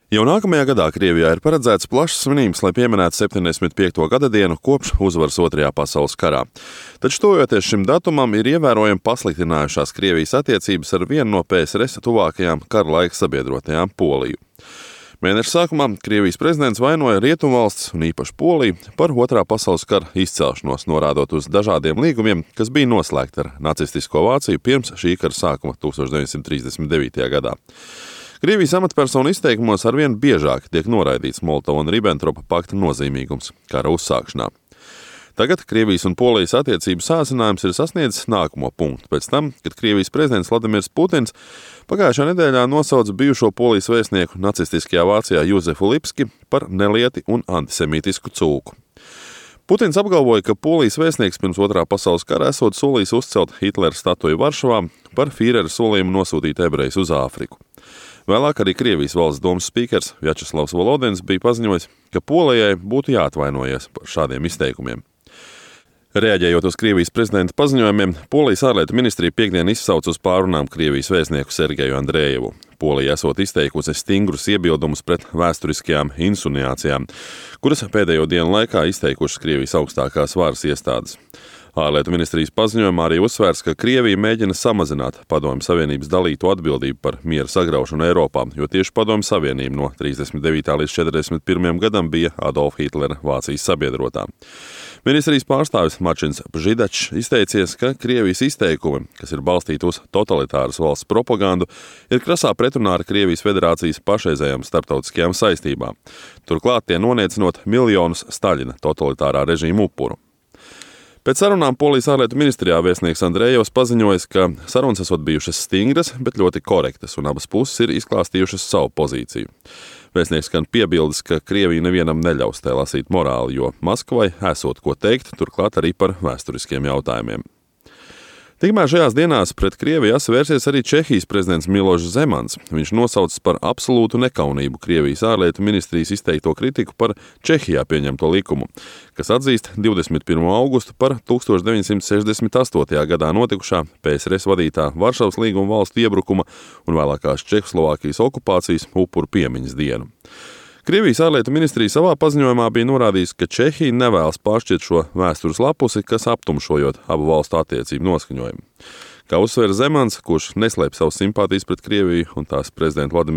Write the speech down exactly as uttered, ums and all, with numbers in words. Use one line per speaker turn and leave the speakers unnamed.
Jau nākamajā gadā Krievijā ir paredzēts plašs svinības, lai pieminētu septiņdesmit piekto gadadienu kopš uzvaras Otrajā pasaules karā. Taču tojoties šim datumam, ir ievērojami pasliktinājušās Krievijas attiecības ar vienu no P S R S tuvākajām kara laika sabiedrotajām Poliju. Mēneša sākumā Krievijas prezidents vainoja Rietumvalstis un īpaši Poliju par Otrā pasaules kara izcelšanos, norādot uz dažādiem līgumiem, kas bija noslēgti ar nacistisko Vāciju pirms šī kara sākuma tūkstoš deviņsimt trīsdesmit devītajā gadā. Krievijas amatpersonu izteikumos arvien biežāk tiek noraidīts Molotova un Ribentropa pakta nozīmīgums kara uzsākšanā. Tagad Krievijas un Polijas attiecību sācinājums ir sasniedzis nākamo punktu pēc tam, kad Krievijas prezidents Vladimirs Putins pagājušā nedēļā nosauca bijušo Polijas vēstnieku nacistiskajā Vācijā Juzefu Lipski par nelieti un antisemītisku cūku. Putins apgalvoja, ka Polijas vēstnieks pirms Otrā pasaules kara esot solījis uzcelt Hitlera statuju Varšavā par Fīrera solījumu nosūtīt ebrejus uz Āfriku. Vēlāk arī Krievijas valsts domas spīkers Vjačeslavs Volodins bija paziņojis, ka Polijai būtu jāatvainojas par šādiem izteikumiem. Reaģējot uz Krievijas prezidenta paziņojumiem, Polijas ārlietu ministrija piekdien izsauca uz pārunām Krievijas vēstnieku Sergeju Andrejevu. Polija esot izteikusi stingrus iebildumus pret vēsturiskajām insinuācijām, kuras pēdējo dienu laikā izteikušas Krievijas augstākās varas iestādes. Ārlietu ministrijas paziņojumā arī uzsvērts, ka Krievija mēģina samazināt Padomju Savienības dalīto atbildību par miera sagraušanu Eiropā, jo tieši Padomju Savienība no trīsdesmit devītā līdz četrdesmit pirmajam gadam bija Adolfa Hitlera Vācijas sabiedrotā. Ministrijas pārstāvis Mačins Pžidačs izteicies, ka Krievijas izteikumi, kas ir balstīti uz totalitāras valsts propagandu, ir krasā pretrunā ar Krievijas federācijas pašreizējām starptautiskajām saistībām. Turklāt tie noniecinot miljonus Staļina totalitārā režīma upuru. Pēc sarunām Polijas ārlietu ministrijā vēstnieks Andrejevs paziņojis, ka sarunas esot bijušas stingras, bet ļoti korektas, un abas puses ir izklāstījušas savu pozīciju. Vēstnieks gan piebildes, ka Krievija nevienam neļaus tai lasīt morāli, jo Maskavai esot ko teikt, turklāt arī par vēsturiskiem jautājumiem. Tikmēr šajās dienās pret Krieviju vērsies arī Čehijas prezidents Milošs Zemans. Viņš nosaucis par absolūtu nekaunību Krievijas ārlietu ministrijas izteikto kritiku par Čehijā pieņemto likumu, kas atzīst divdesmit pirmo augustu par tūkstoš deviņsimt sešdesmit astotajā gadā notikušā P S R S vadītā Varšavas līguma valstu iebrukuma un vēlākās Čehoslovākijas okupācijas upuru piemiņas dienu. Krievijas ārlietu ministrija savā paziņojumā bija norādījusi, ka Čehija nevēlas pāršķirt šo vēstures lapusi, kas aptumšojot abu valstu attiecību noskaņojumu. Kā uzsver Zemans, kurš neslēp savas simpātijas pret Krieviju un tās prezidentu Vladimiru